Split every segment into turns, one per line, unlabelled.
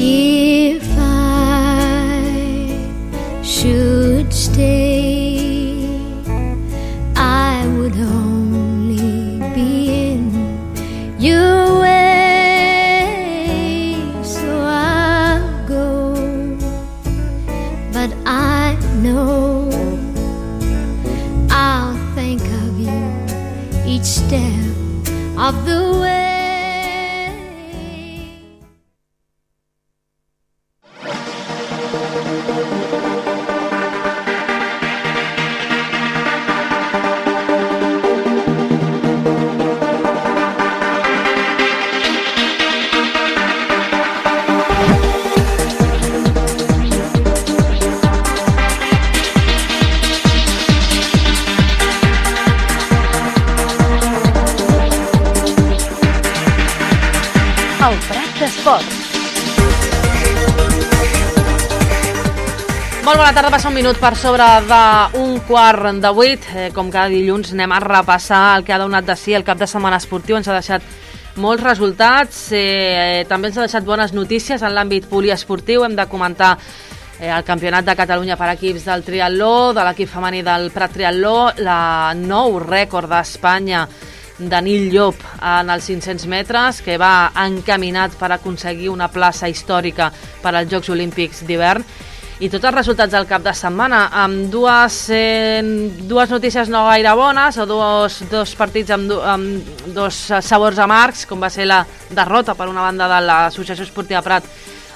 If I should stay, I would only be in your way. So I'll go, but I know I'll think of you each step of the way.
El Prat d'Esports. Molt bona tarda, passa un minut per sobre d'un quart de 8. Com cada dilluns anem a repassar el que ha donat de si el cap de setmana esportiu. Ens ha deixat molts resultats, també ens ha deixat bones notícies en l'àmbit poliesportiu. Hem de comentar el campionat de Catalunya per equips del triatló, de l'equip femení del Prat Triatló, la nou rècord d'Espanya de Nil Llop en els 500 metres, que va encaminat per aconseguir una plaça històrica per als Jocs Olímpics d'hivern. I tots els resultats del cap de setmana, amb dues notícies no gaire bones, o dos partits amb dos sabors amargs, com va ser la derrota per una banda de l'Associació Esportiva Prat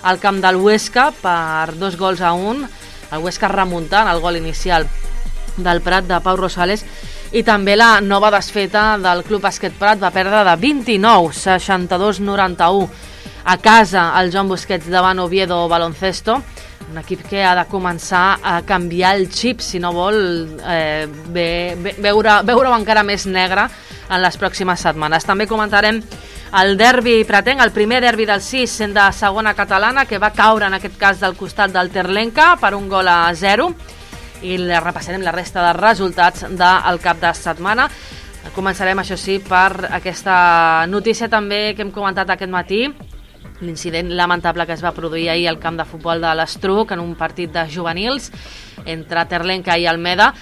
al camp del Huesca per 2-1, el Huesca remuntant el gol inicial del Prat de Pau Rosales, i també la nova desfeta del Club Bàsquet Prat, va perdre de 29, 62-91 a casa el Joan Busquets davant Oviedo Baloncesto, un equip que ha de començar a canviar el xip si no vol veure-ho encara més negre en les pròximes setmanes. També comentarem el derbi pratenc, el primer derbi del 6 sent de segona catalana, que va caure en aquest cas del costat del Terlenca per 1-0, i repassarem la resta de resultats del cap de setmana. Començarem, això sí, per aquesta notícia també que hem comentat aquest matí, l'incident lamentable que es va produir ahir al camp de futbol de l'Estruc en un partit de juvenils entre Terlenca i Almeda.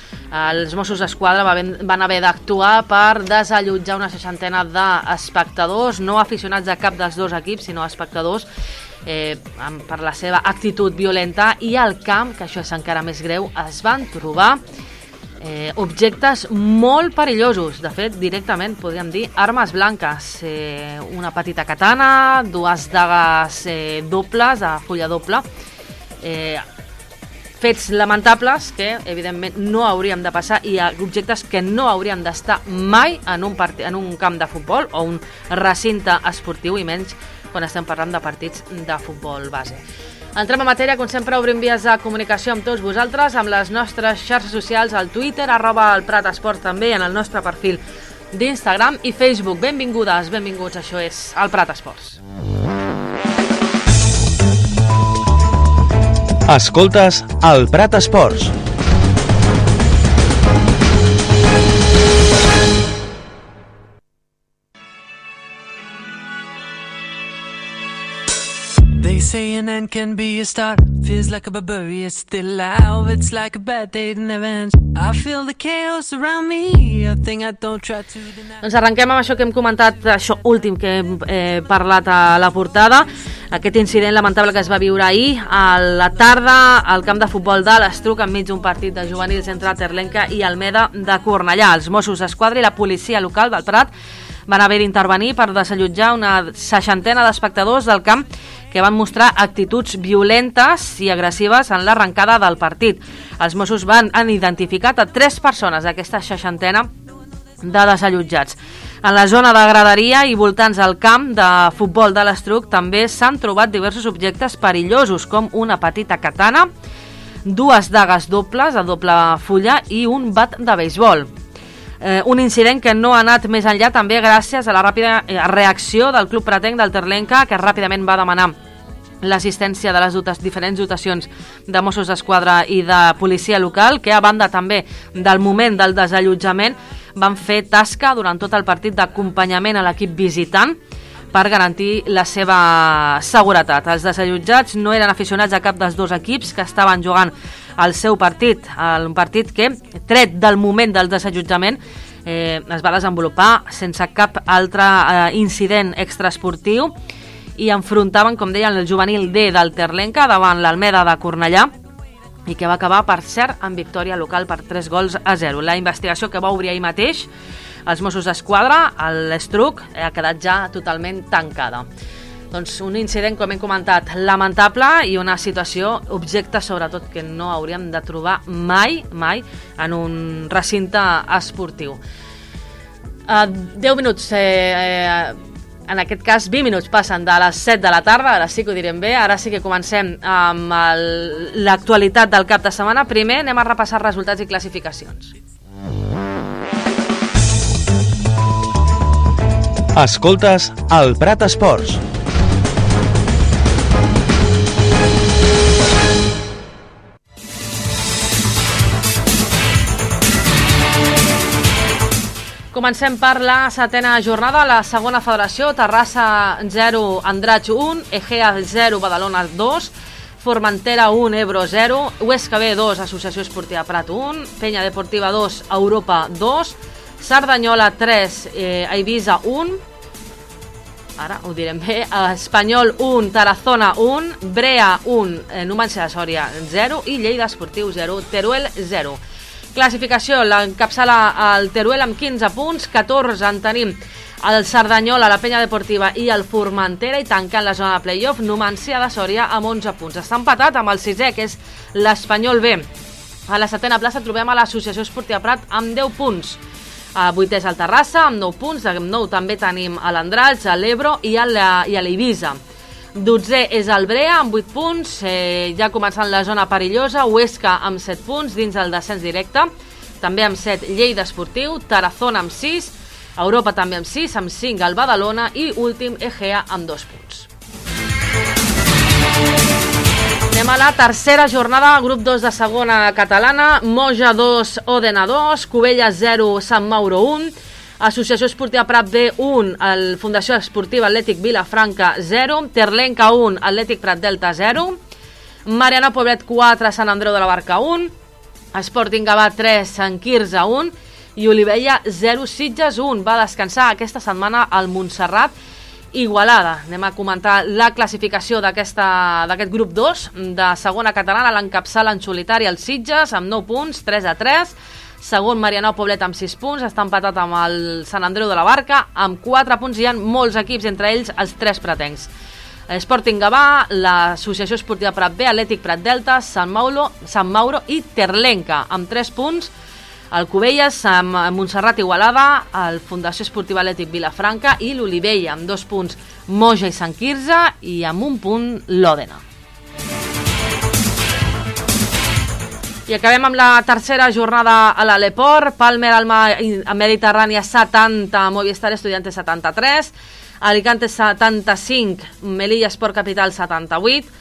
Els Mossos d'Esquadra van haver d'actuar per desallotjar una 60 d'espectadors, no aficionats de cap dels dos equips, sinó espectadors, per la seva actitud violenta, i al camp, que això és encara més greu, es van trobar objectes molt perillosos, de fet directament podríem dir armes blanques, una petita katana, dues dagues dobles, de fulla doble, fets lamentables que evidentment no hauríem de passar, i objectes que no haurien d'estar mai en un camp de futbol o un recinte esportiu, i menys quan estem parlant de partits de futbol base. Entrem a matèria, com sempre obrim vies de comunicació amb tots vosaltres, amb les nostres xarxes socials, al Twitter, @elPratEsports, també en el nostre perfil d'Instagram i Facebook. Benvingudes, benvinguts, això és el Prat Esports.
Escoltes el Prat Esports.
They say an end can be a start. Feels like a barbarian, it's still alive. It's like a bad day that never ends. I feel the chaos around me, a thing I don't try to deny.
Doncs arrenquem amb això que hem comentat, això últim que hem parlat a la portada, aquest incident lamentable que es va viure ahir a la tarda al camp de futbol de l'Estruc, enmig d'un partit de juvenils entre Terlenca i Almeda de Cornellà. Els Mossos d'Esquadra i la policia local del Prat van haver d'intervenir per desallotjar una 60 d'espectadors del camp que van mostrar actituds violentes i agressives en l'arrencada del partit. Els Mossos han identificat a 3 persones d'aquesta 60 de desallotjats. En la zona de graderia i voltants del camp de futbol de l'Estruc també s'han trobat diversos objectes perillosos, com una petita katana, 2 dagues dobles de doble fulla i un bat de beisbol. Un incident que no ha anat més enllà també gràcies a la ràpida reacció del club pratenc del Terlenca, que ràpidament va demanar l'assistència de les diferents dotacions de Mossos d'Esquadra i de policia local, que a banda també del moment del desallotjament van fer tasca durant tot el partit d'acompanyament a l'equip visitant per garantir la seva seguretat. Els desallotjats no eren aficionats a cap dels dos equips que estaven jugant el seu partit, un partit que, tret del moment del desallotjament, es va desenvolupar sense cap altre incident extraesportiu i enfrontaven, com deien, el juvenil D del Terlenca davant l'Almeda de Cornellà, i que va acabar, per cert, amb victòria local per 3-0. La investigació que va obrir ahir mateix els Mossos d'Esquadra, l'Estruc, ha quedat ja totalment tancada. Doncs un incident, com hem comentat, lamentable i una situació objecte, sobretot, que no hauríem de trobar mai en un recinte esportiu. 10 minuts, en aquest cas 20 minuts passen de les 7 de la tarda, ara sí que ho direm bé, ara sí que comencem amb l'actualitat del cap de setmana. Primer anem a repassar resultats i classificacions.
Escoltes el Prat Esports.
Comencem per la setena jornada, la segona federació, Terrassa 0, Andratx 1, Egea 0, Badalona 2, Formentera 1, Ebro 0, Huesca B 2, Associació Esportiva Prat 1, Penya Deportiva 2, Europa 2, Cerdanyola 3, Eivissa 1, ara ho direm bé, Espanyol 1, Tarazona 1, Brea 1, Numancia de Sòria 0 i Lleida Esportiu 0, Teruel 0. Classificació, l'encapçala el Teruel amb 15 punts, 14 en tenim el Cerdanyola, la Penya Deportiva i el Formentera, i tancant la zona de playoff Numancia de Sòria amb 11 punts. Està empatat amb el sisè, que és l'Espanyol B. A la setena plaça trobem a l'Associació Esportiva Prat amb 10 punts. Vuitè és el Terrassa amb 9 punts, amb 9 també tenim l'Andratx, l'Ebro i l'Eivissa. 12è és el Brea amb 8 punts, ja començant la zona perillosa, Huesca amb 7 punts dins el descens directe, també amb 7 Lleida Esportiu, Tarazona amb 6, Europa també amb 6, amb 5 el Badalona i últim Egea amb 2 punts. Anem a la tercera jornada, grup 2 de segona catalana, Moja 2, Òdena 2, Cubelles 0, Sant Mauro 1, Associació Esportiva Prat B 1, el Fundació Esportiva Atlètic Vilafranca 0, Terlenca 1, Atlètic Prat Delta 0, Mariana Poblet 4, Sant Andreu de la Barca 1, Sporting Gavà 3, Sant Quirze 1 i Olivella 0, Sitges 1. Va descansar aquesta setmana al Montserrat Igualada. Anem a comentar la classificació d'aquest grup 2 de segona catalana. L'encapçala en solitari el Sitges amb 9 punts, 3-3. Segon, Marianao Poblet amb 6 punts, està empatat amb el Sant Andreu de la Barca amb 4 punts. Hi ha molts equips, entre ells els 3 pratencs. Sporting Gavà, l'Associació Esportiva Prat B, Atlètic Prat Delta, Sant Mauro i Terlenca amb 3 punts. El Cubelles amb Montserrat Igualada, el Fundació Esportiva Atlètic Vilafranca i l'Olivella amb 2 punts Moja i Sant Quirze i amb 1 punt l'Òdena. I acabem amb la tercera jornada a l'Aleport. Palmer Alma Mediterrània 70, Movistar Estudiantes 73, Alicante 75, Melilla Esport Capital 78,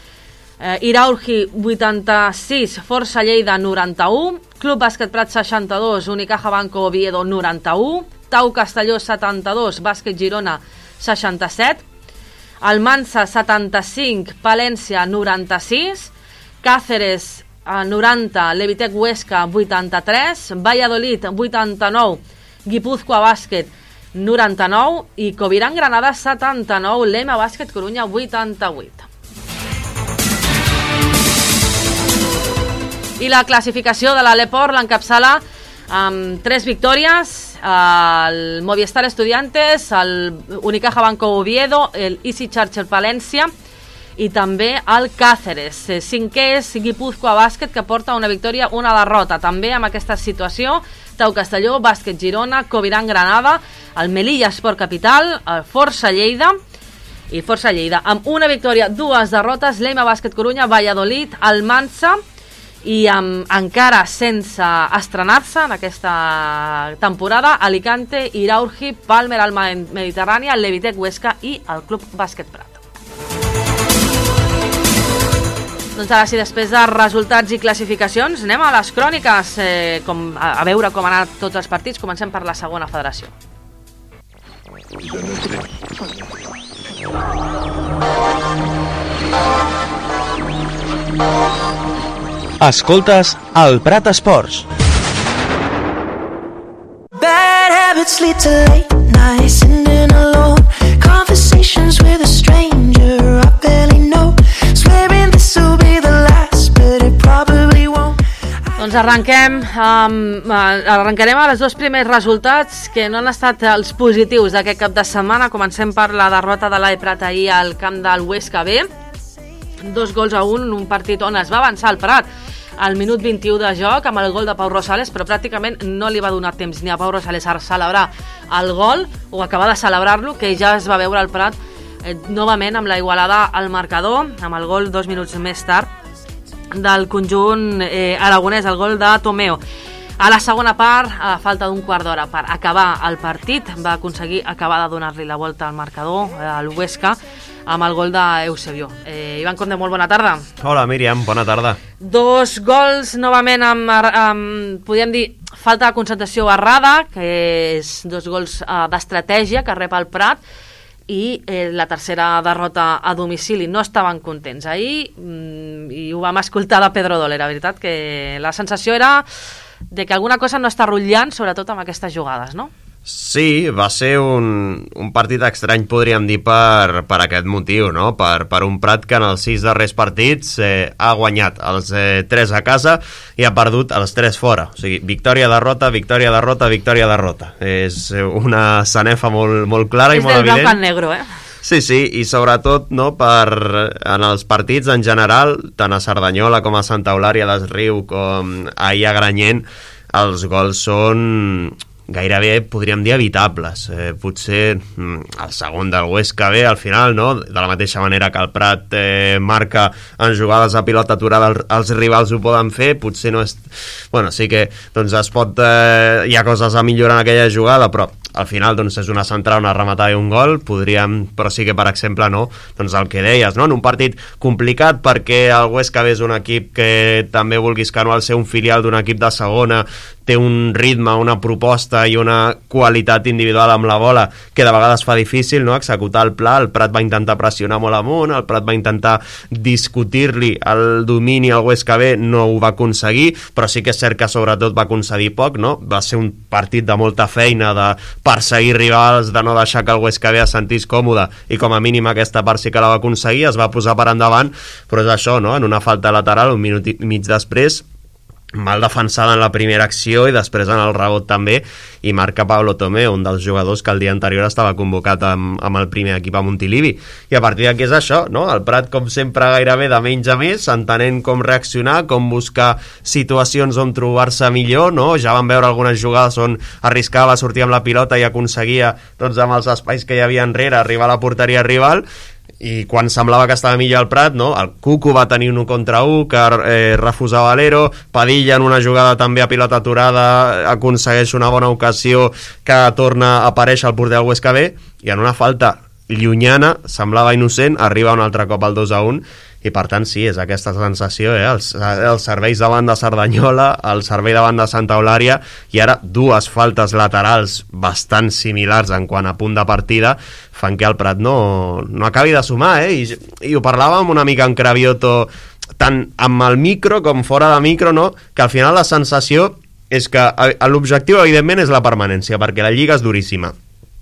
Iraurgi 86, Força Lleida 91, Club Bàsquet Prat 62, Unicaja Banco Oviedo 91, Tau Castelló 72, Bàsquet Girona 67, Almansa 75, Palència 96, Cáceres 90, Levitec Huesca 83, Valladolid 89, Guipúzcoa Bàsquet 99 i Covirán Granada 79, Lema Bàsquet Corunya 88. I la classificació de l'Aleport l'encapçala amb 3 victòries, el Movistar Estudiantes, el Unicaja Banco Oviedo, el Easy Charger Palència i també el Cáceres. 5è és Guipúzcoa Bàsquet, que porta una victòria, una derrota. També amb aquesta situació, Tau Castelló, Bàsquet Girona, Covirán Granada, el Melilla Esport Capital, el Força Lleida, amb una victòria, 2 derrotes, Lema Bàsquet Corunya, Valladolid, Almansa, i encara sense estrenar-se en aquesta temporada, Alicante, Iraurgi, Palmer Alma Mediterrània, Levitec Huesca i el Club Bàsquet Prat. Doncs ara sí, després de resultats i classificacions, anem a les cròniques, a veure com han anat tots els partits. Comencem per la segona federació.
Escoltes el Prat Esports.
Bad habits lead to late nights, sitting alone, conversations with a stranger I barely know, swearing this will be the last, but it probably won't.
Doncs arrencarem a les dos primers resultats que no han estat els positius d'aquest cap de setmana. Comencem per la derrota de l'AE Prat ahir al camp del Huesca B, 2-1, un partit on es va avançar el Prat al minut 21 de joc amb el gol de Pau Rosales, però pràcticament no li va donar temps ni a Pau Rosales a celebrar el gol o acabar de celebrar-lo, que ja es va veure el Prat novament amb la igualada al marcador, amb el gol 2 minuts més tard del conjunt aragonès, el gol de Tomeo. A la segona part, a falta d'un quart d'hora per acabar el partit, va aconseguir acabar de donar-li la volta al marcador, al Huesca, amb el gol d'Eusebio. Ivan Conde, molt bona tarda.
Hola, Míriam, bona tarda.
2 gols, novament, amb podríem dir, falta de concentració errada, que és 2 gols d'estratègia que rep el Prat, i la tercera derrota a domicili. No estaven contents ahir, i ho vam escoltar de Pedro Doler, la veritat, que la sensació era de que alguna cosa no està rotllant, sobretot amb aquestes jugades, no?
Sí, va ser un partit estrany, podríem dir, per aquest motiu, no? Per un Prat que en els 6 darrers partits ha guanyat els 3 a casa i ha perdut els 3 fora. O sigui, victòria-derrota, victòria-derrota, victòria-derrota. És una sanefa molt clara i molt evident.
És del blanc al negro,
Sí, i sobretot, no, en els partits en general, tant a Cerdanyola com a Santa Eulària des Riu com ahir a Granyent, els gols són gairebé, podríem dir, evitables. Potser el segon del Huesca B, al final, no? De la mateixa manera que el Prat marca en jugades a pilota aturada, els rivals ho poden fer, potser no és... Bueno, sí que doncs es pot... hi ha coses a millorar en aquella jugada, però al final doncs, és una centrada, una rematada i un gol, però sí que, per exemple, no, doncs el que deies, no? En un partit complicat, perquè el Huesca B és un equip que també, vulguis que no, al ser un filial d'un equip de segona, té un ritme, una proposta i una qualitat individual amb la bola que de vegades fa difícil, no, executar el pla. El Prat va intentar pressionar molt amunt, el Prat va intentar discutir-li el domini al Huesca B, no ho va aconseguir, però sí que és cert que sobretot va concedir poc, no? Va ser un partit de molta feina, de perseguir rivals, de no deixar que el Huesca B es sentís còmode, i com a mínim aquesta part sí que la va aconseguir, es va posar per endavant, però és això, no? En una falta lateral, un minut i mig després, mal defensada en la primera acció i després en el rebot també, i marca Pablo Tomeo, un dels jugadors que el dia anterior estava convocat amb el primer equip a Montilivi. I a partir d'aquí és això, no? El Prat, com sempre, gairebé de menys a més, entenent com reaccionar, com buscar situacions on trobar-se millor, no? Ja vam veure algunes jugades on arriscava a sortir amb la pilota i aconseguia, doncs, amb els espais que hi havia enrere, arribar a la porteria rival, i quan semblava que estava millor el Prat, no? El Cuco va tenir un 1 contra 1 que refusava l'Ero, Padilla en una jugada també a pilota aturada aconsegueix una bona ocasió que torna a aparèixer al porter del Huesca B, i en una falta llunyana, semblava innocent, arriba un altre cop al 2-1, i per tant sí, és aquesta sensació, els serveis davant de Cerdanyola, el servei davant de Santa Eulària, i ara 2 faltes laterals bastant similars en quant a punt de partida fan que el Prat no acabi de sumar, i ho parlàvem una mica en Cravioto, tant amb el micro com fora de micro, no? Que al final la sensació és que l'objectiu evidentment és la permanència, perquè la Lliga és duríssima,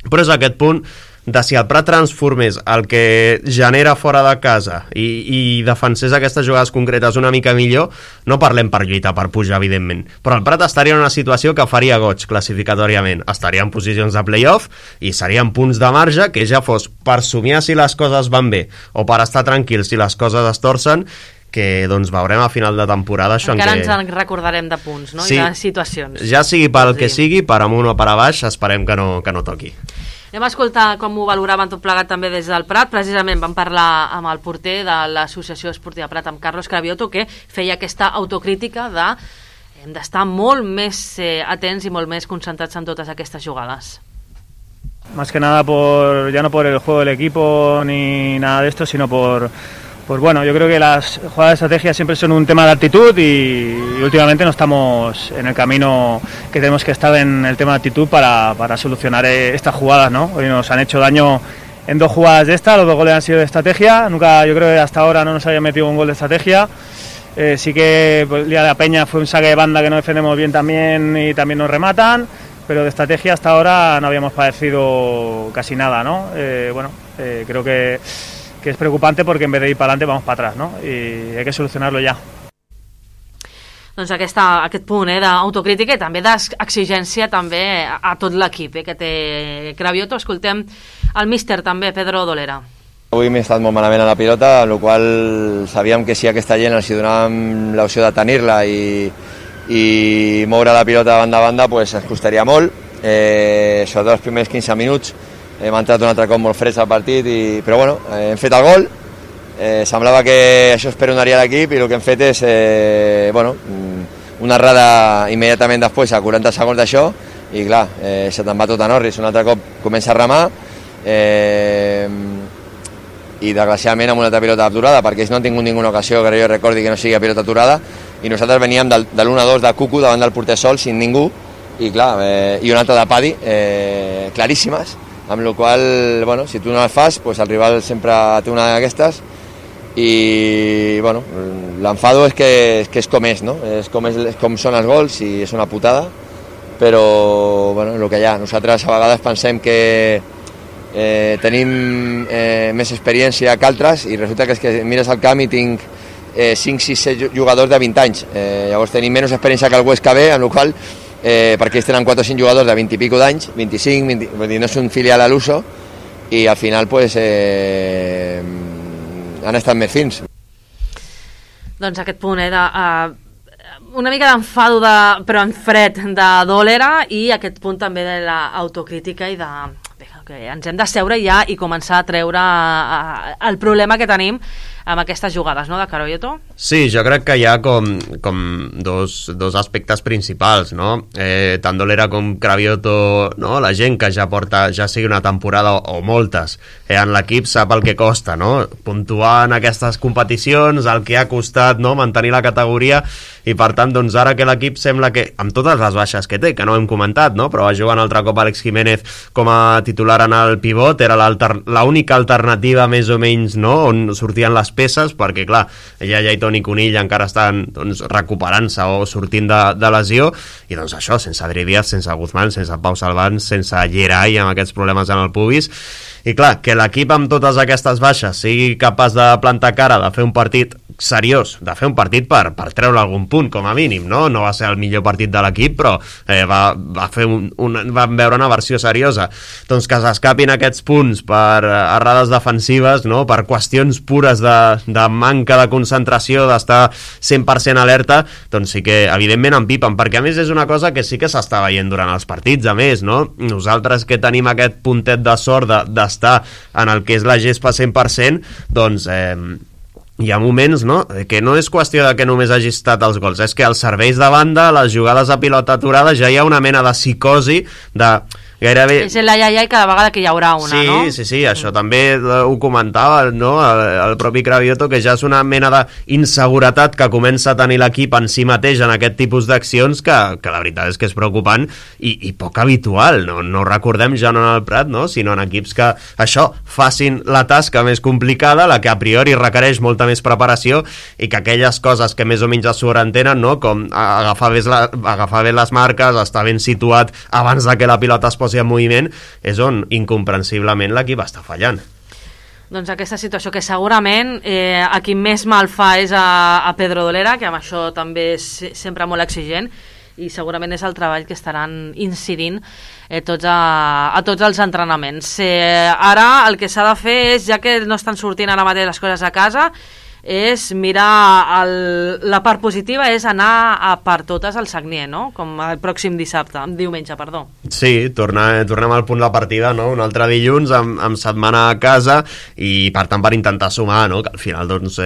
però és aquest punt de si el Prat transformés el que genera fora de casa i defensés aquestes jugades concretes una mica millor, no parlem per lluitar, per pujar, evidentment, però el Prat estaria en una situació que faria goig classificatòriament, estaria en posicions de play-off i serien punts de marge que ja fos per somiar si les coses van bé o per estar tranquils si les coses es torcen, que doncs veurem a final de temporada això.
Encara ens en recordarem de punts, no? Sí, i de situacions.
Ja sigui pel que sigui, per amunt o per a baix, esperem que no toqui.
Anem a escoltar com ho valoraven tot plegat també des del Prat. Precisament vam parlar amb el porter de l'Associació Esportiva Prat, amb Carlos Cravioto, que feia aquesta autocrítica de hem d'estar molt més atents i molt més concentrats en totes aquestes jugades.
Más que nada ya no por el juego del equipo ni nada de esto, sino pues bueno, yo creo que las jugadas de estrategia siempre son un tema de actitud y últimamente no estamos en el camino que tenemos que estar en el tema de actitud para solucionar estas jugadas, ¿no? Hoy nos han hecho daño en 2 jugadas de esta, los 2 goles han sido de estrategia, nunca, yo creo que hasta ahora no nos había metido un gol de estrategia. Sí que pues, el día de la Peña fue un saque de banda que no defendemos bien también y también nos rematan, pero de estrategia hasta ahora no habíamos padecido casi nada, ¿no? Creo que es preocupante porque en vez de ir para adelante vamos para atrás, ¿no? Y hay que solucionarlo ya.
Doncs aquest punt d'autocrítica i també d'exigència també a tot l'equip que té Cravioto. Escoltem el míster també, Pedro Dolera.
Avui m'he estat molt malament a la pilota, amb la qual sabíem que si aquesta gent els donàvem l'opció de tenir-la i moure la pilota de banda a banda, pues ens costaria molt, sobretot els primers 15 minuts. Hem entrat un altre cop molt freds al partit, però bueno, hem fet el gol. Semblava que això es perdonaria a l'equip i el que hem fet és una errada immediatament després, a 40 segons d'això, i clar, se te'n va tot en orris. Un altre cop comença a remar i desgraciadament amb una altra pilota aturada, perquè ells no han tingut ninguna ocasió que jo recordi que no sigui pilota aturada, i nosaltres veníem de l'1-2 de Cucu davant del porter sol, sin ningú, i clar, i una altra de Padi, claríssimes, amb la qual cosa, si tu no les fas, pues el rival sempre té una d'aquestes, i l'enfado és que és com és, no? És com són els gols i és una putada, però el que hi ha, nosaltres a vegades pensem que tenim més experiència que altres i resulta que és que mires al camp i tinc 5, 6, 7 jugadors de 20 anys, llavors tenim menys experiència que el Huesca B, en la qual perquè ells tenen 4 o 5 jugadors de 20 i pico d'anys, 25, 20, vull dir, no és un filial a l'uso, i al final pues han estat més fins.
Doncs aquest punt una mica d'enfado però en fred de Dolera, i aquest punt també de l'autocrítica i que ens hem de seure ja i començar a treure el problema que tenim amb aquestes jugades, no, de Cravioto?
Sí, jo crec que hi ha com dos aspectes principals, no? Tant Dolera com Cravioto, no? La gent que ja porta, ja sigui una temporada o moltes, en l'equip sap el que costa, no? Puntuar en aquestes competicions, el que ha costat, no? Mantenir la categoria, i per tant, doncs ara que l'equip sembla que, amb totes les baixes que té, que no hem comentat, no? Però va jugar un altre cop Àlex Jiménez com a titular en el pivot, era l'única alternativa més o menys, no? On sortien les peces, perquè clar, ja Lleyton i Conill encara estan recuperant-se o sortint de lesió, i doncs això, sense Adri Díaz, sense Guzmán, sense Pau Salván, sense Geray amb aquests problemes en el pubis, i clar, que l'equip amb totes aquestes baixes sigui capaç de plantar cara, de fer un partit seriós, de fer un partit per treure algun punt, com a mínim, no? No va ser el millor partit de l'equip, però van veure una versió seriosa. Doncs que s'escapin aquests punts per errades defensives, no? Per qüestions pures de manca de concentració, d'estar 100% alerta, doncs sí que evidentment empipen, perquè a més és una cosa que sí que s'està veient durant els partits, a més, no? Nosaltres que tenim aquest puntet de sort d'estar en el que és la gespa 100%, doncs hi ha moments, no?, que no és qüestió de que només hagi estat els gols, és que els serveis de banda, les jugades a pilota aturada, ja hi ha una mena de psicosi de gairebé...
És la iaia i cada vegada que hi haurà una, no?
Sí, això també ho comentava, no?, el propi Cravioto, que ja és una mena d'inseguretat que comença a tenir l'equip en si mateix en aquest tipus d'accions que la veritat és que és preocupant i poc habitual, no recordem ja no en el Prat, no?, sinó en equips que això, facin la tasca més complicada, la que a priori requereix molta més preparació, i que aquelles coses que més o menys es sobreentenen, no?, com agafar bé les marques, estar ben situat abans de que la pilota es posi en moviment, és on incomprensiblement l'equip està fallant.
Doncs aquesta situació que segurament a qui més mal fa és a Pedro Dolera, que amb això també és sempre molt exigent, i segurament és el treball que estaran incidint a tots els entrenaments. Ara el que s'ha de fer és, ja que no estan sortint ara mateix les coses a casa, és mirar la part positiva, és anar a per totes al Sagnier, no? Com el pròxim diumenge.
Sí, tornem al punt de partida, no? Un altre dilluns amb setmana a casa, i per tant per intentar sumar, no? Que al final doncs,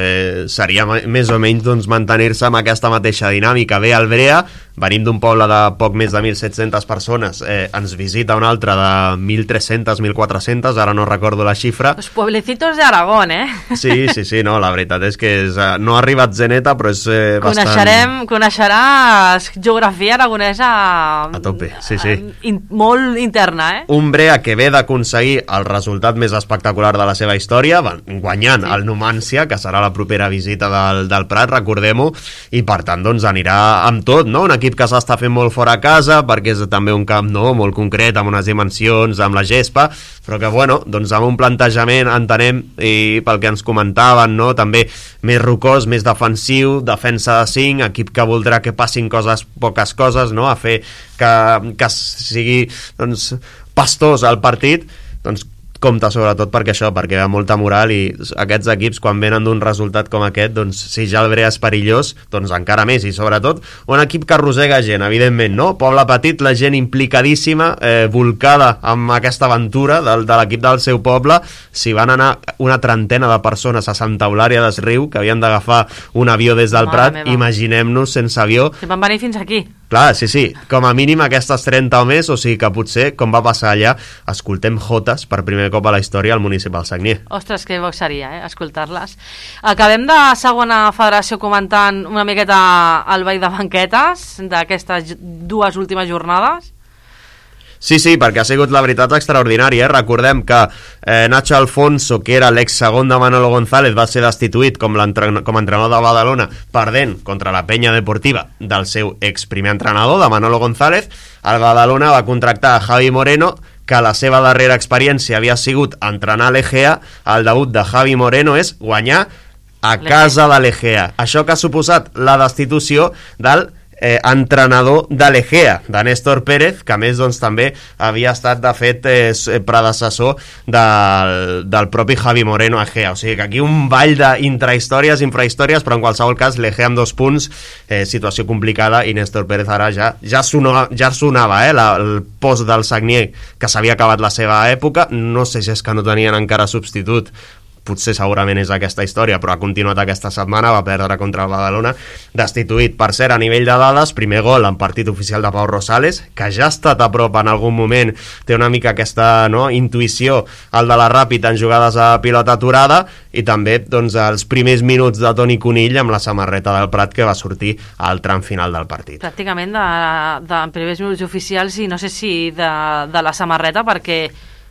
seria més o menys doncs, mantenir-se amb aquesta mateixa dinàmica. Bé, el Brea venim d'un poble de poc més de 1.700 persones, ens visita un altre de 1.300, 1.400, ara no recordo la xifra.
Los pueblecitos de Aragón,
Sí, no, la veritat és que no ha arribat Zeneta, però és bastant...
Coneixeràs geografia aragonesa
a tope, sí.
Molt interna,
Un Brea que ve d'aconseguir el resultat més espectacular de la seva història, guanyant el Numancia, que serà la propera visita del Prat, recordem-ho, i per tant doncs anirà amb tot, no? Un equip que s'està fent molt fora a casa, perquè és també un camp molt concret, amb unes dimensions, amb la gespa, però que doncs amb un plantejament entenem, i pel que ens comentaven, no? També més rocós, més defensiu, defensa de 5, equip que voldrà que passin poques coses, no? A fer que sigui doncs, pastós el partit, doncs compta sobretot perquè hi ha molta moral, i aquests equips quan venen d'un resultat com aquest, doncs si ja el Brea és perillós, doncs encara més, i sobretot un equip que arrossega gent, evidentment, no? Poble petit, la gent implicadíssima, volcada amb aquesta aventura de l'equip del seu poble. Si van anar una trentena de persones a Santa Eulària des Riu, que havien d'agafar un avió des del Prat, imaginem-nos sense avió.
Que van venir fins aquí.
Clar, sí, com a mínim aquestes 30 o més, o sigui que potser, com va passar allà, escoltem jotes per primer cop a la història al Municipal Sagnier.
Ostres, que bo seria, escoltar-les. Acabem de segona federació comentant una miqueta el ball de banquetes d'aquestes dues últimes jornades.
Sí, perquè ha sigut la veritat extraordinària. Recordem que Nacho Alfonso, que era l'ex-segon de Manolo González, va ser destituït com a entrenador de Badalona, perdent contra la Penya Deportiva del seu ex-primer entrenador, de Manolo González. El Badalona va contractar a Javi Moreno, que la seva darrera experiència havia sigut entrenar l'Egea. El debut de Javi Moreno és guanyar a casa de l'Egea. Això que ha suposat la destitució del entrenador de l'Egea, de Néstor Pérez, que a més doncs, també havia estat de fet predecessor del propi Javi Moreno a Egea. O sigui que aquí un ball d'intrahistòries, infrahistòries, però en qualsevol cas l'Egea amb 2 punts, situació complicada, i Néstor Pérez ara ja sonava el post del Sagnier, que s'havia acabat la seva època. No sé si és que no tenien encara substitut, potser segurament és aquesta història, però ha continuat aquesta setmana, va perdre contra el Badalona, destituït. Per cert, a nivell de dades, primer gol en partit oficial de Pau Rosales, que ja ha estat a prop en algun moment, té una mica aquesta intuïció, el de la Ràpid en jugades a pilota aturada, i també doncs, els primers minuts de Toni Conill amb la samarreta del Prat, que va sortir al tram final del partit.
Pràcticament de primers minuts oficials, i no sé si de la samarreta, perquè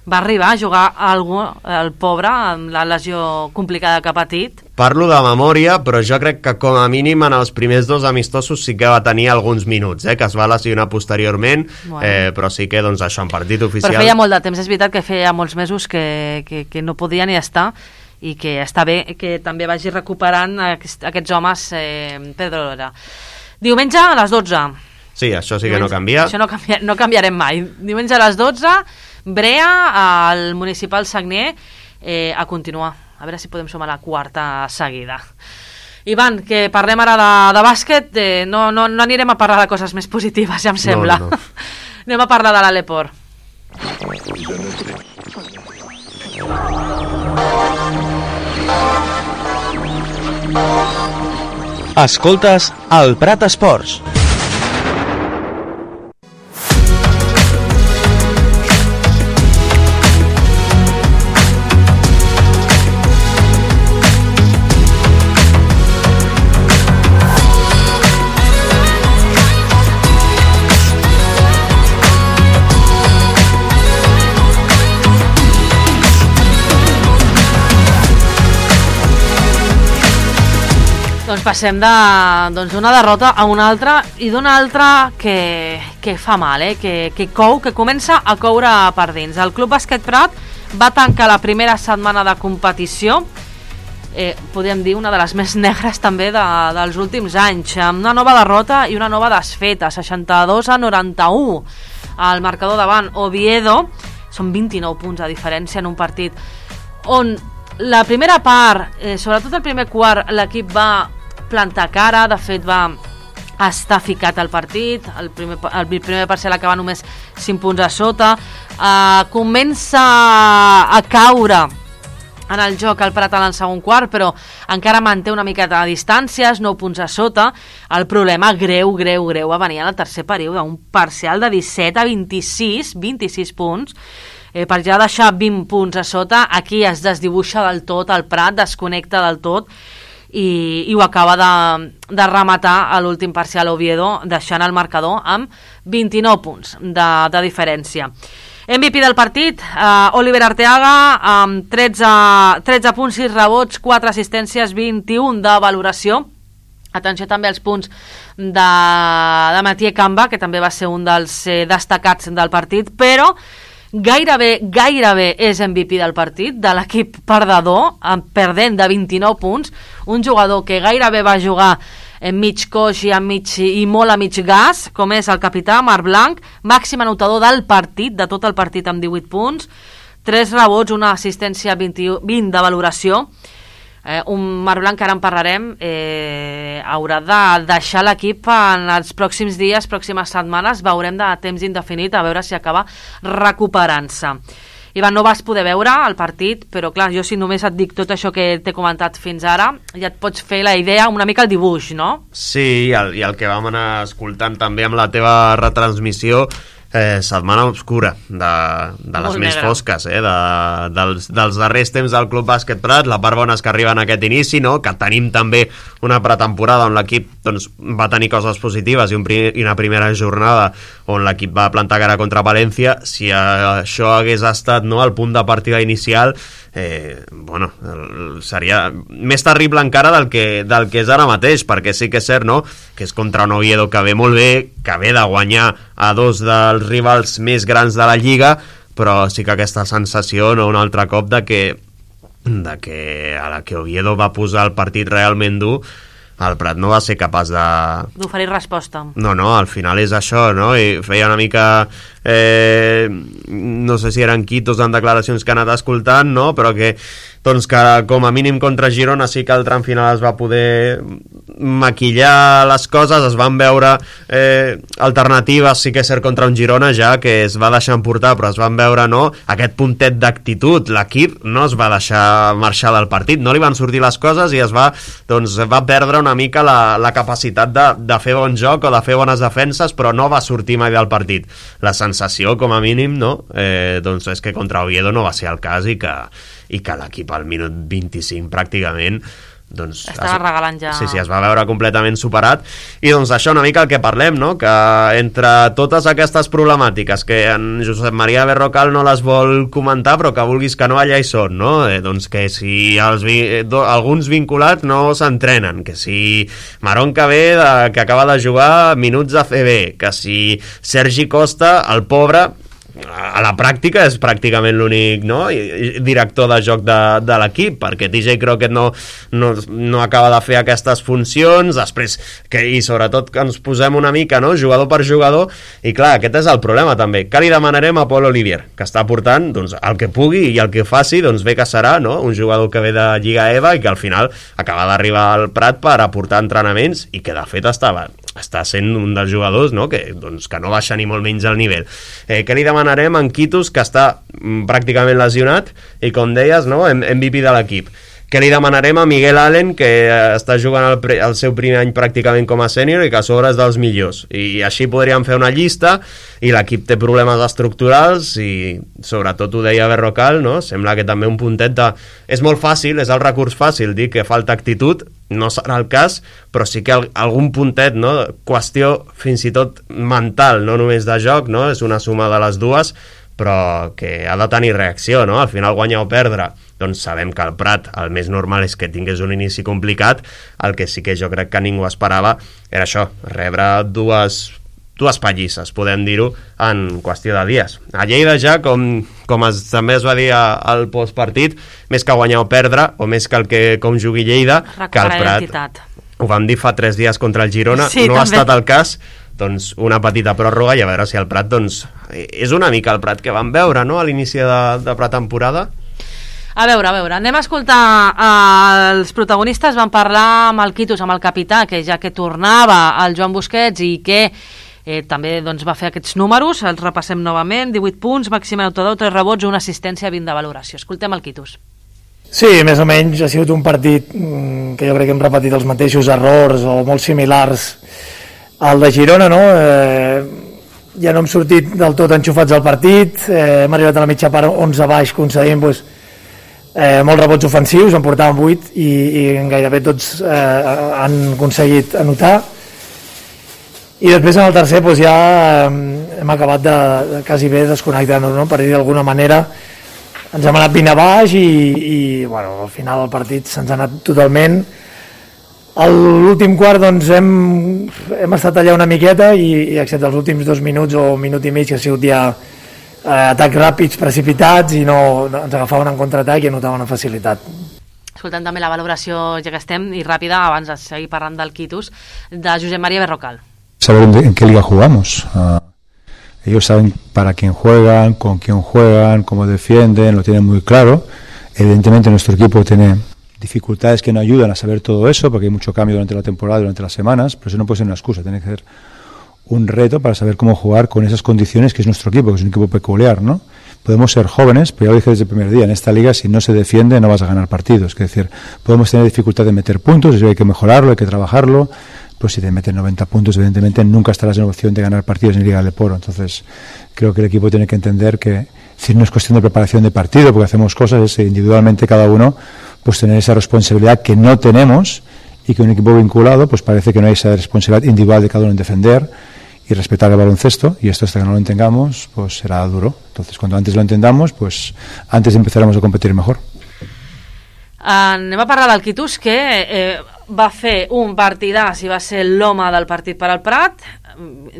va arribar a jugar el pobre amb la lesió complicada que ha patit.
Parlo de memòria, però jo crec que com a mínim en els primers 2 amistosos sí que va tenir alguns minuts, que es va lesionar posteriorment, però sí que doncs, això en partit oficial...
Però feia molt de temps, és veritat que feia molts mesos que no podia ni estar, i que està bé que també vagi recuperant aquests homes Pedro Lora. Diumenge a les 12.
Sí, això sí que no canvia.
Això no canviarem mai. Diumenge a les 12, Brea, al Municipal Sagnier, a continuar. A veure si podem sumar la 4ª seguida. Ivan, que parlem ara de bàsquet, no anirem a parlar de coses més positives, ja em sembla. No. Anem a parlar de l'Aleport.
Escoltes el Prat Esports.
Doncs passem d'una derrota a una altra, i d'una altra que fa mal, que cou, que comença a coure per dins. El Club Bàsquet Prat va tancar la primera setmana de competició, podríem dir una de les més negres també dels últims anys, amb una nova derrota i una nova desfeta, 62-91. El marcador davant Oviedo, són 29 punts de diferència en un partit on la primera part, sobretot el primer quart, l'equip va plantar cara, de fet va estar ficat al partit, el primer parcial acaba només 5 punts a sota, comença a caure en el joc al Prat en el segon quart, però encara manté una miqueta de distàncies, 9 punts a sota. El problema greu va venir en el tercer període, un parcial de 17-26 punts, per ja deixar 20 punts a sota. Aquí es desdibuixa del tot el Prat, desconnecta del tot, i ho acaba de rematar a l'últim parcial Oviedo, deixant el marcador amb 29 punts de diferència. MVP del partit, Oliver Arteaga, amb 13 punts, 6 rebots, 4 assistències, 21 de valoració. Atenció també als punts de Mathieu Camba, que també va ser un dels destacats del partit, però gairebé és MVP del partit, de l'equip perdedor, perdent de 29 punts, un jugador que gairebé va jugar en mig coix i molt a mig gas, com és el capità Marc Blanc, màxim anotador del partit, de tot el partit, amb 18 punts, 3 rebots, una assistència, 20 de valoració. Un Marc Blanc, que ara en parlarem, haurà de deixar l'equip en els pròxims dies, pròximes setmanes, veurem de temps indefinit, a veure si acaba recuperant-se. Ivan, no vas poder veure el partit, però clar, jo si només et dic tot això que t'he comentat fins ara, ja et pots fer la idea, una mica el dibuix, no?
Sí, i el que vam anar escoltant també amb la teva retransmissió, setmana obscura, de les més fosques, dels darrers temps del Club Bàsquet Prat, la part bona és que arriba en aquest inici, no? Que tenim també una pretemporada on l'equip doncs, va tenir coses positives i una primera jornada on l'equip va plantar cara contra València. Si això hagués estat, no, el punt de partida inicial, seria més terrible encara del que és ara mateix, perquè sí que és cert, no?, que és contra un Oviedo que ve molt bé, que ve de guanyar a dos dels rivals més grans de la Lliga, però sí que aquesta sensació, no, un altre cop, de que a la que Oviedo va posar el partit realment dur, el Prat no va ser capaç
d'oferir resposta.
No, al final és això, no? I feia una mica no sé si eren quitos en declaracions que ha anat escoltant, no? Però que doncs que com a mínim contra Girona sí que al tram final es va poder maquillar les coses, es van veure alternatives, sí que és cert, contra un Girona ja que es va deixar emportar, però es van veure, no, aquest puntet d'actitud. L'equip no es va deixar marxar del partit, no li van sortir les coses i va perdre una mica la capacitat de fer bon joc o de fer bones defenses, però no va sortir mai del partit. La sensació, com a mínim, no, doncs és que contra Oviedo no va ser el cas i que l'equip al minut 25 pràcticament doncs
estava regalant ja.
Sí, es va veure completament superat. I doncs això una mica el que parlem, no? Que entre totes aquestes problemàtiques que en Josep Maria Berrocal no les vol comentar, però que vulguis que no, allà hi són, no? Doncs que si alguns vinculats no s'entrenen, que si Marón que acaba de jugar minuts a CB, que si Sergi Costa, el pobre, a la pràctica és pràcticament l'únic, no, director de joc de l'equip, perquè TJ Crockett no acaba de fer aquestes funcions, després i sobretot que ens posem una mica, no, jugador per jugador, i clar, aquest és el problema també. Què li demanarem a Paul Olivier? Que està portant doncs, el que pugui i el que faci, doncs bé que serà, no? Un jugador que ve de Lliga EVA i que al final acaba d'arribar al Prat per aportar entrenaments i que de fet està sent un dels jugadors, no, que no baixa ni molt menys el nivell. Què li demanarem a en Quitos, que està pràcticament lesionat i, com deies, no, MVP de l'equip? Què li demanarem a Miguel Allen, que està jugant el seu primer any pràcticament com a sènior i que a sobre és dels millors? I així podríem fer una llista, i l'equip té problemes estructurals i sobretot ho deia Berrocal, no? Sembla que també un puntet és molt fàcil, és el recurs fàcil dir que falta actitud, no serà el cas, però sí que algun puntet, no? Qüestió fins i tot mental, no només de joc, no? És una suma de les dues, però que ha de tenir reacció, no? Al final guanyar o perdre, doncs sabem que el Prat el més normal és que tingués un inici complicat. El que sí que jo crec que ningú esperava era això, rebre dues pallisses, podem dir-ho, en qüestió de dies. A Lleida ja, com també es va dir al postpartit, més que guanyar o perdre, o més que com jugui Lleida, que el Prat, ho vam dir fa 3 dies contra el Girona, sí, no també ha estat el cas, doncs una petita pròrroga i a veure si el Prat, doncs, és una mica el Prat que vam veure, no?, a l'inici de pretemporada.
A veure, anem a escoltar els protagonistes. Van parlar amb el Quitos, amb el capità, que ja que tornava el Joan Busquets i que també doncs, va fer aquests números, els repassem novament: 18 punts, màxim anotador, 3 rebots, una assistència, 20 de valoració. Escoltem el Quitos.
Sí, més o menys ha sigut un partit que jo crec que hem repetit els mateixos errors o molt similars al de Girona, no? Ja no hem sortit del tot enxufats al partit, hem arribat a la mitja part 11 baix concedint molts rebots ofensius, en portàvem 8 i gairebé tots han aconseguit anotar. I després en el tercer ja hem acabat de quasi bé desconnectant-nos, no? Per dir d'alguna manera. Ens hem anat 20 a baix i bueno, al final el partit se'ns ha anat totalment. A l'últim quart doncs, hem estat allà una miqueta i excepte els últims 2 minuts o minut i mig que ha sigut ja atacs ràpids, precipitats i no ens agafaven en contraatac i anotaven amb facilitat.
Escoltant també la valoració, ja que estem, i ràpida, abans de seguir parlant del quitus, de Josep María Berrocal.
Saber en qué liga jugamos. Ellos saben para quién juegan, con quién juegan, cómo defienden, lo tienen muy claro. Evidentemente nuestro equipo tiene dificultades que no ayudan a saber todo eso, porque hay mucho cambio durante la temporada, durante las semanas, pero eso no puede ser una excusa, tiene que ser un reto para saber cómo jugar con esas condiciones que es nuestro equipo, que es un equipo peculiar, ¿no? Podemos ser jóvenes, pero ya lo dije desde el primer día, en esta liga si no se defiende no vas a ganar partidos, es decir, podemos tener dificultad de meter puntos, eso hay que mejorarlo, hay que trabajarlo. Pues si te meten 90 puntos, evidentemente nunca estarás en opción de ganar partidos en Liga del Poro. Entonces, creo que el equipo tiene que entender que si no es cuestión de preparación de partido, porque hacemos cosas, es individualmente cada uno, pues tener esa responsabilidad que no tenemos y que un equipo vinculado, pues parece que no hay esa responsabilidad individual de cada uno en defender y respetar el baloncesto, y esto hasta que no lo entendamos, pues será duro. Entonces, cuando antes lo entendamos, pues antes empezaremos a competir mejor.
Anem a parlar del Quitus, que va fer un partidàs i va ser l'home del partit per al Prat.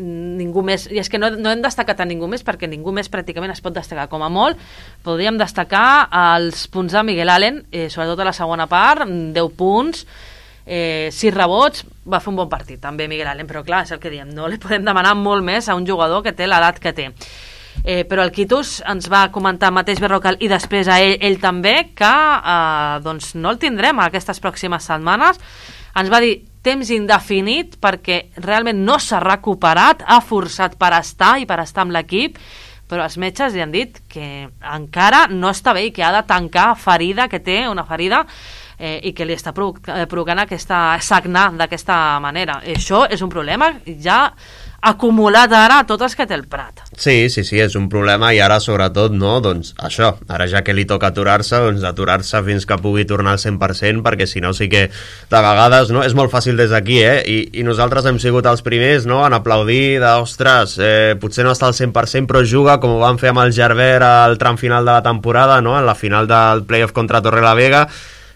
Ningú més, i és que no hem destacat a ningú més perquè ningú més pràcticament es pot destacar. Com a molt podríem destacar els punts de Miguel Allen, sobretot a la segona part, 10 punts, 6 rebots. Va fer un bon partit també Miguel Allen, però clar, és el que diem, no li podem demanar molt més a un jugador que té l'edat que té. Però el Quitus ens va comentar mateix Berrocal i després a ell també que doncs no el tindrem aquestes pròximes setmanes. Ens va dir temps indefinit perquè realment no s'ha recuperat, ha forçat per estar i per estar amb l'equip, però els metges li han dit que encara no està bé i que ha de tancar ferida, que té una ferida i que li està provocant aquesta sagnar d'aquesta manera. Això és un problema ja acumulat ara a tots els que té el Prat.
Sí, és un problema i ara sobretot, no, doncs això, ara ja que li toca aturar-se, doncs aturar-se fins que pugui tornar al 100%, perquè si no sí que de vegades, no, és molt fàcil des d'aquí, i nosaltres hem sigut els primers, no, en aplaudir d'ostres, potser no està al 100% però juga com ho van fer amb el Gerber al tram final de la temporada, no, en la final del playoff contra Torrelavega,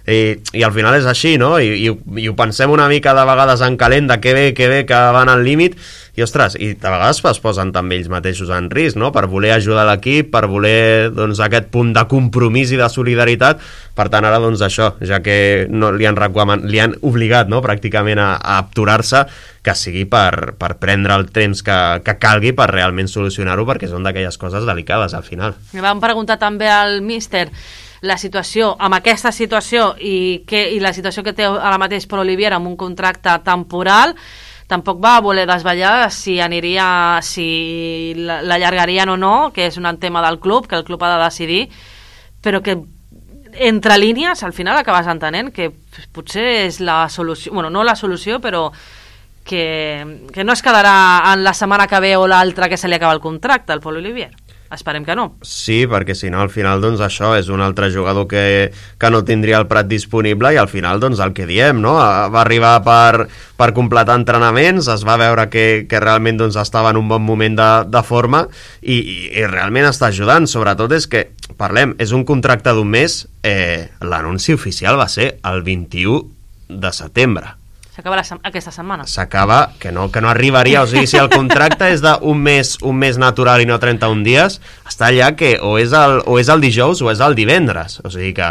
i al final és així, no? I ho pensem una mica de vegades en calent, de que bé que van al límit, i ostres, i de vegades es posen també ells mateixos en risc, no? Per voler ajudar l'equip, per voler doncs, aquest punt de compromís i de solidaritat. Per tant, ara doncs això, ja que no, li han obligat, no? Pràcticament a aturar-se, que sigui per prendre el temps que calgui per realment solucionar-ho, perquè són d'aquelles coses delicades al final.
Me van preguntar també al míster la situació, amb aquesta situació i la situació que té ara mateix Pol Olivier amb un contracte temporal. Tampoc va voler desvetllar si l'allargarien o no, que és un tema del club, que el club ha de decidir, però que entre línies al final acabes entenent que potser és la solució, bueno, no la solució, però que no es quedarà en la setmana que ve o l'altra que se li acaba el contracte al Pol Olivier. Esperem que no.
Sí, perquè si no al final doncs això és un altre jugador que no tindria el Prat disponible i al final doncs el que diem, no? Va arribar per completar entrenaments, es va veure que realment doncs estava en un bon moment de forma i realment està ajudant. Sobretot és que, parlem, és un contracte d'un mes, l'anunci oficial va ser el 21 de setembre.
S'acaba aquesta setmana.
S'acaba, que no arribaria, o sigui, si el contracte és d'un mes natural i no 31 dies, està allà que o és el dijous o és el divendres, o sigui que,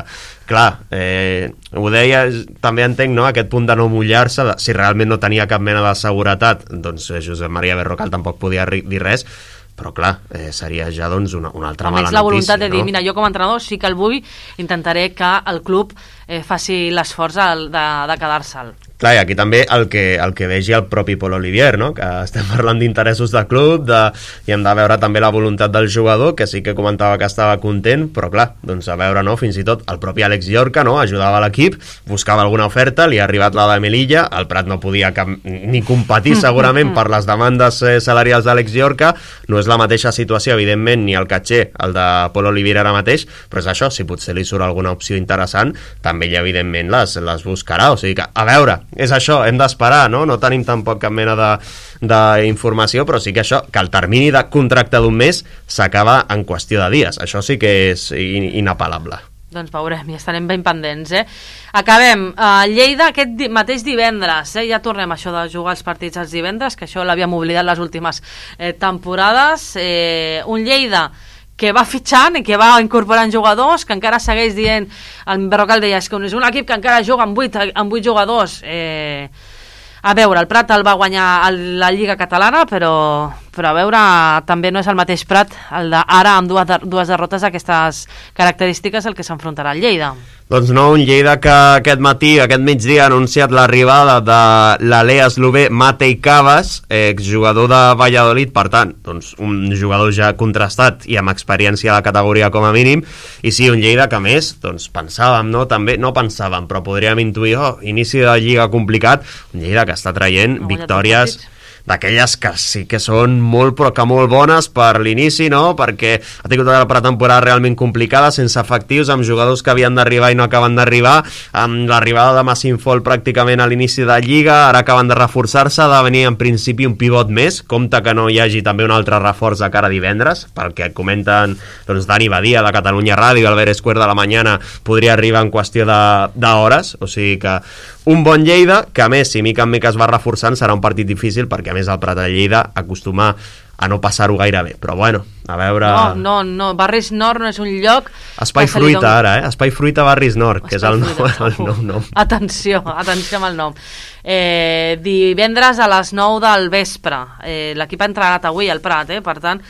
clar, ho deia, també entenc, no?, aquest punt de no mullar-se, si realment no tenia cap mena de seguretat, doncs Josep María Berrocal tampoc podia dir res, però clar, seria ja doncs una altra mala notícia.
La voluntat de dir, mira, jo com a entrenador sí que el vull, intentaré que el club faci l'esforç de quedar-se'l.
Clar, i aquí també el que vegi el propi Pol Olivier, no? Que estem parlant d'interessos de club, i hem de veure també la voluntat del jugador, que sí que comentava que estava content, però clar, doncs a veure, no? Fins i tot el propi Àlex Llorca, no? Ajudava l'equip, buscava alguna oferta, li ha arribat la de Melilla, el Prat no podia ni competir segurament per les demandes salarials d'Àlex Llorca, no és la mateixa situació, evidentment, ni el catxer, el de Pol Olivier ara mateix, però és això, si potser li surt alguna opció interessant, també ell evidentment les buscarà, o sigui que, a veure, és això, hem d'esperar, no? No tenim tampoc cap mena d'informació, però sí que això, que el termini de contracte d'un mes s'acaba en qüestió de dies, això sí que és inapel·lable.
Doncs veurem, i estarem ben pendents, Acabem, Lleida aquest mateix divendres, ja tornem a això de jugar els partits els divendres, que això l'havíem oblidat les últimes temporades, un Lleida que va fitxant i que va incorporant jugadors, que encara segueix dient, el Berrocal deia, és que és un equip que encara juga amb 8 jugadors, a veure, el Prat el va guanyar la Lliga Catalana, però a veure, també no és el mateix Prat, el d'ara amb dues derrotes d'aquestes característiques el que s'enfrontarà al Lleida.
Doncs no, un Lleida que aquest matí, aquest migdia, ha anunciat l'arribada de l'Alea eslové Matej Cavas, exjugador de Valladolid, per tant, doncs un jugador ja contrastat i amb experiència a la categoria com a mínim, i sí, un Lleida que més, doncs pensàvem, no? També, no pensàvem, però podríem intuir, inici de Lliga complicat, un Lleida que està traient victòries d'aquelles que sí que són molt però que molt bones per l'inici, no? Perquè ha tingut una pretemporada realment complicada, sense efectius, amb jugadors que havien d'arribar i no acaben d'arribar, amb l'arribada de Massinfol pràcticament a l'inici de Lliga, ara acaben de reforçar-se, ha de venir en principi un pivot més, compte que no hi hagi també un altre reforç de cara a divendres, pel que comenten doncs, Dani Badia de Catalunya Ràdio, Albert Esquer de la Mañana, podria arribar en qüestió d'hores, o sigui que un bon Lleida, que a més, si mica en mica es va reforçant, serà un partit difícil, perquè a més el Prat de Lleida acostuma a no passar-ho gaire bé, però bueno, a veure...
No, Barris Nord no és un lloc...
Espai Fruita ara, Espai Fruita Barris Nord, que és el nom.
Atenció amb el nom. Divendres a les 9 del vespre, l'equip ha entrenat avui al Prat, per tant,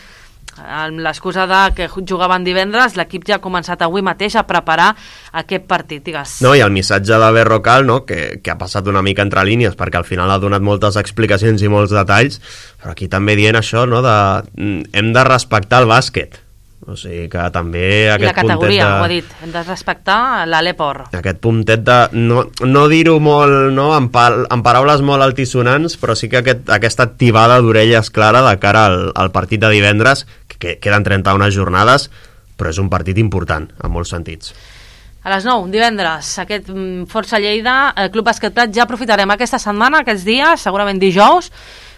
amb l'excusa de que jugaven divendres, l'equip ja ha començat avui mateix a preparar aquest partit, digues.
No, i el missatge de Berrocal, no, que ha passat una mica entre línies, perquè al final ha donat moltes explicacions i molts detalls, però aquí també dient això, no, hem de respectar el bàsquet. O sigui que també aquest
puntet de... I la categoria, ho ha dit, hem de respectar l'Aleport.
Aquest puntet de no dir-ho molt, no, amb paraules molt altisonants, però sí que aquesta activada d'orelles clara de cara al partit de divendres, que queden 31 jornades, però és un partit important, en molts sentits.
A les 9, divendres, aquest Força Lleida, el Club Bàsquet Prat, ja aprofitarem aquesta setmana, aquests dies, segurament dijous,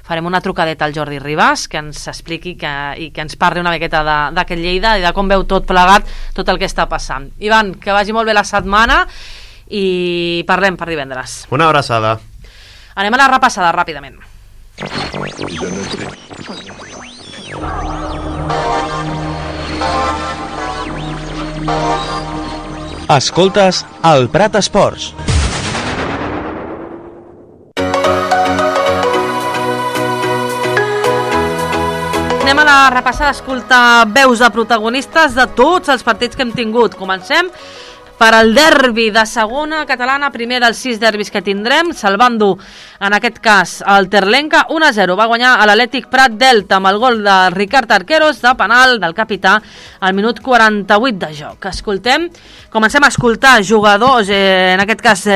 farem una trucadeta al Jordi Ribas, que ens expliqui i que ens parli una miqueta d'aquest Lleida i de com veu tot plegat, tot el que està passant. Ivan, que vagi molt bé la setmana i parlem per divendres.
Una abraçada.
Anem a la repassada ràpidament.
Escoltes el Prat Esports.
Anem a la repassada, escoltar veus de protagonistes de tots els partits que hem tingut. Comencem per al derbi de segona catalana, primer dels 6 derbis que tindrem, salvant-ho, en aquest cas, el Terlenca, 1-0. Va guanyar a l'Atlètic Prat Delta amb el gol de Ricard Arqueros, de penal del capità, al minut 48 de joc. Comencem a escoltar jugadors, en aquest cas,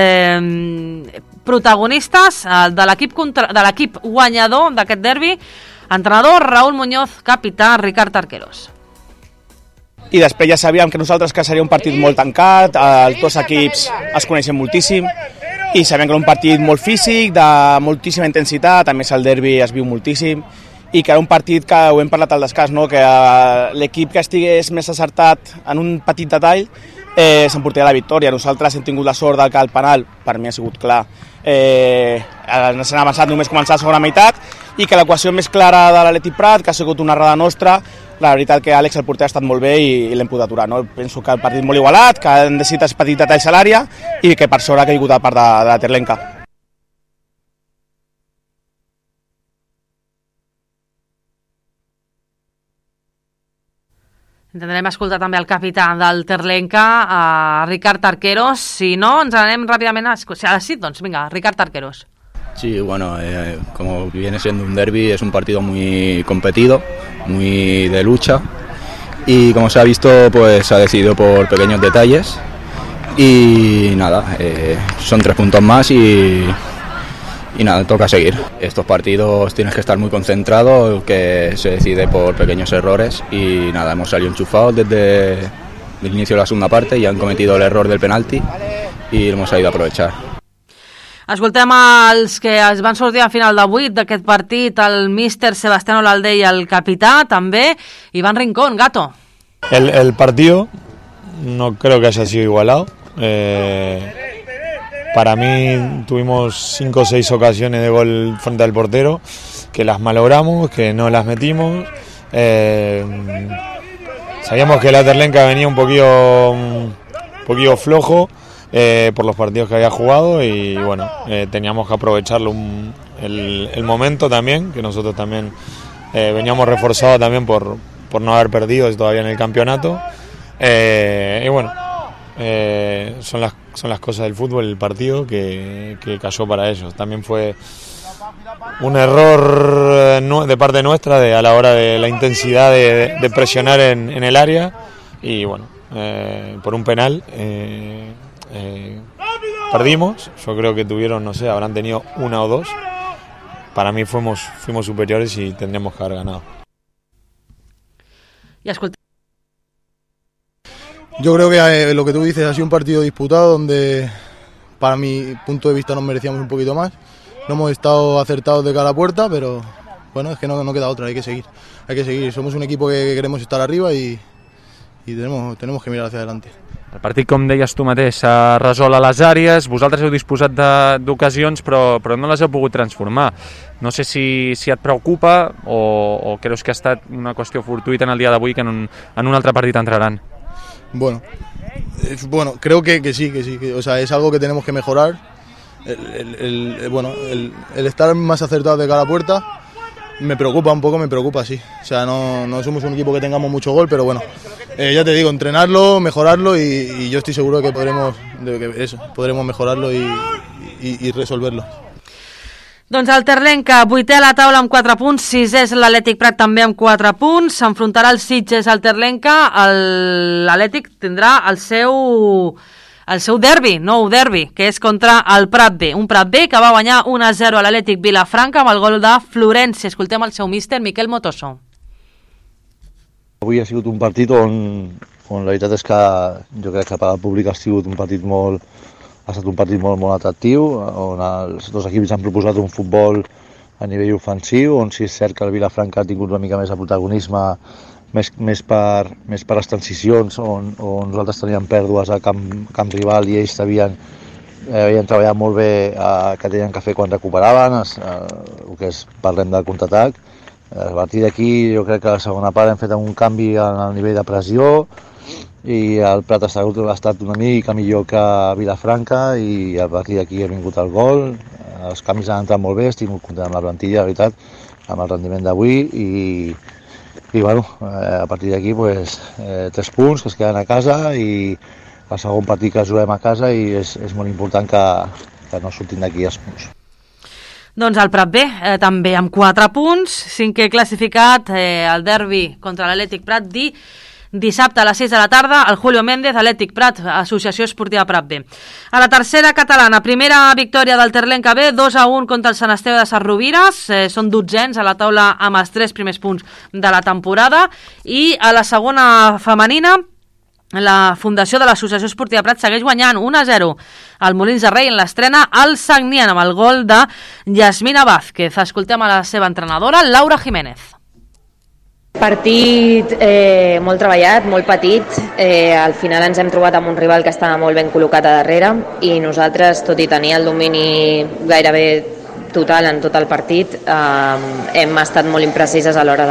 protagonistes de l'equip guanyador d'aquest derbi, entrenador Raúl Muñoz, capità Ricard Arqueros.
I després ja sabíem que nosaltres que seria un partit molt tancat, els dos equips es coneixen moltíssim i sabem que era un partit molt físic, de moltíssima intensitat, a més el derbi es viu moltíssim i que era un partit que ho hem parlat al descans, no? Que l'equip que estigués més acertat en un petit detall s'emportaria la victòria. Nosaltres hem tingut la sort que el penal, per mi ha sigut clar, ens han avançat només començar la segona meitat i que l'equació més clara de l'Atlètic Prat, que ha sigut una errada nostra, la veritat que Àlex, el porter, ha estat molt bé i l'hem pogut aturar. No? Penso que el partit molt igualat, que han decidit petit detalls a l'àrea i que per sort ha caigut a part de la Terlenca.
Intentarem escoltar també el capità del Terlenca, Ricard Arqueros. Si no, ens anem ràpidament a les 7, doncs vinga, Ricard Arqueros.
Sí, bueno, como viene siendo un derbi, es un partido muy competido, muy de lucha, y como se ha visto, pues se ha decidido por pequeños detalles, y nada, son 3 puntos más y nada, toca seguir. Estos partidos tienes que estar muy concentrado, que se decide por pequeños errores, y nada, hemos salido enchufados desde el inicio de la segunda parte y han cometido el error del penalti y lo hemos sabido aprovechar.
Escoltem els que es van sortir a final de 8 d'aquest partit, el míster Sebastián Olalde i el capità, també, Iván Rincón. Gato.
El partido no creo que haya sido igualado. Para mí tuvimos 5 o 6 ocasiones de gol frente al portero, que las malogramos, que no las metimos. Sabíamos que la Terlenca venía un poquillo flojo por los partidos que había jugado, y bueno, teníamos que aprovecharlo el momento también, que nosotros también veníamos reforzados también por no haber perdido todavía en el campeonato. Y bueno, son las cosas del fútbol, el partido que cayó para ellos. También fue un error de parte nuestra a la hora de la intensidad de presionar en el área, y bueno, por un penal perdimos. Yo creo que tuvieron, no sé, habrán tenido 1 o 2. Para mí fuimos superiores y tendríamos que haber ganado.
Y escolta.
Yo creo que lo que tú dices ha sido un partido disputado donde, para mi punto de vista, nos merecíamos un poquito más. No hemos estado acertados de cara a puerta, pero bueno, es que no queda otra, hay que seguir. Somos un equipo que queremos estar arriba y tenemos que mirar hacia adelante.
El partit, com deies tu mateix, s'ha resolt a les àrees, vosaltres heu disposat d'ocasions però no les heu pogut transformar. No sé si et preocupa o creus que ha estat una qüestió fortuita en el dia d'avui, que en un altre partit entraran.
Bueno, creo que sí, o sea, es algo que tenemos que mejorar. El estar más acertado de cara a puerta me preocupa, sí. O sea, no somos un equipo que tengamos mucho gol, pero bueno, ya te digo, entrenarlo, mejorarlo, y yo estoy seguro de que podremos mejorarlo y resolverlo.
Doncs el Terlenca, 8è a la taula amb 4 punts, 6è és l'Atlètic Prat també amb 4 punts, s'enfrontarà el Sitges al Terlenca, l'Atlètic tindrà el seu derbi, nou derbi, que és contra el Prat B, un Prat B que va guanyar 1-0 a l'Atlètic Vilafranca amb el gol de Florenci. Escoltem el seu míster, Miquel Motoso.
Avui ha sigut un partit on la veritat és que jo crec que per al públic ha estat un partit molt atractiu, on els dos equips han proposat un futbol a nivell ofensiu, on sí és cert que el Vilafranca ha tingut una mica més de protagonisme, més per les transicions, on nosaltres teníem pèrdues a camp rival i ells havien treballat molt bé que tenien que fer quan recuperaven, el que parlem del contraatac. A partir d'aquí jo crec que a la segona part hem fet un canvi al nivell de pressió, i el Prat ha estat una mica millor que Vilafranca, i a partir d'aquí ha vingut el gol. Els canvis han entrat molt bé, estic molt content amb la plantilla, la veritat, amb el rendiment d'avui, i bueno, a partir d'aquí 3 punts que es queden a casa, i el segon partit que juguem a casa, i és molt important que no surtin d'aquí els punts.
Doncs el Prat B també amb 4 punts, 5è classificat, el derbi contra l'Atlètic Prat dissabte a les 6 de la tarda, el Julio Méndez, Atlètic Prat, Associació Esportiva Prat B. A la tercera catalana, primera victòria del Terlenca B, 2-1 contra el Sant Esteve de Sesrovires, són 12ens a la taula amb els 3 primers punts de la temporada, i a la segona femenina, la fundació de l'Associació Esportiva Prat segueix guanyant 1-0 al Molins de Rei en l'estrena al Sagnian amb el gol de Yasmina Vázquez. Escoltem a la seva entrenadora, Laura Jiménez.
Partit molt treballat, molt petit. Al final ens hem trobat amb un rival que estava molt ben col·locat a darrere, i nosaltres, tot i tenir el domini gairebé total en tot el partit, hem estat molt imprecises a l'hora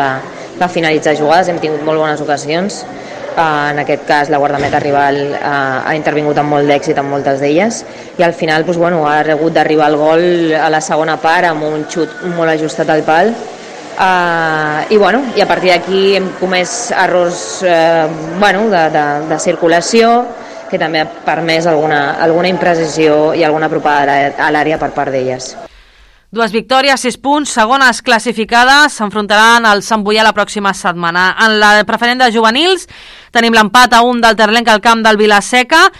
de finalitzar jugades, hem tingut molt bones ocasions. En aquest cas la guardameta rival ha intervingut amb molt d'èxit en moltes d'elles, i al final ha hagut d'arribar el gol a la segona part amb un xut molt ajustat al pal, I a partir d'aquí hem comès errors de circulació, que també ha permès alguna imprecisió i alguna apropada a l'àrea per part d'elles.
2 victòries, 6 punts, segones classificades, s'enfrontaran al Sant Boià la pròxima setmana. En la preferent de juvenils tenim l'empat a 1 del Terlenc al camp del Vilaseca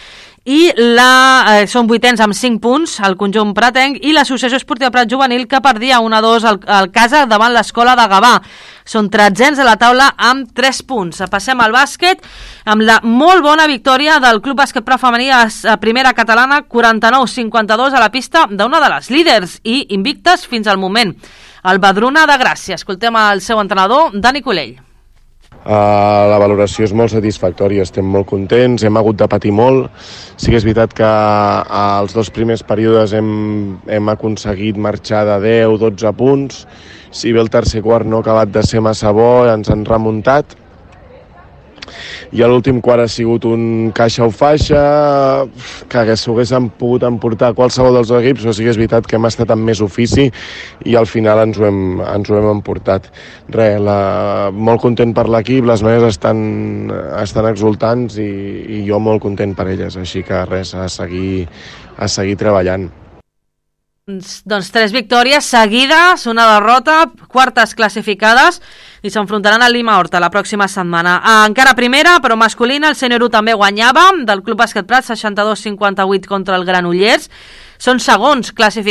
i són 8ens amb 5 punts al conjunt pratenc, i l'Associació Esportiva Prat Juvenil, que perdia 1-2 al Casa davant l'Escola de Gavà. Són 13ens a la taula amb 3 punts. Passem al bàsquet amb la molt bona victòria del Club Bàsquet Prat Femení a primera catalana, 49-52 a la pista d'una de les líders i invictes fins al moment, el Badruna de Gràcia. Escoltem el seu entrenador, Dani Colell.
La valoració és molt satisfactòria, estem molt contents, hem hagut de patir molt. Sí que és veritat que als 2 primers períodes hem aconseguit marxar de 10-12 punts. Si bé el tercer quart no ha acabat de ser massa bo, ens han remuntat. I l'últim quart ha sigut un caixa o faixa, que s'ho haguessin pogut emportar qualsevol dels dos equips, però sí que és veritat que hem estat amb més ofici i al final ens ho hem emportat. Molt content per l'equip, les noies estan exultants i jo molt content per elles, així que a seguir treballant.
Doncs 3 victòries seguides, una derrota, quartes classificades, i s'enfrontaran al Lima Horta la pròxima setmana. Encara primera, però masculina, el Sènior 1 també guanyava del Club Bàsquet Prat 62-58 contra el Granollers. Són segons classificats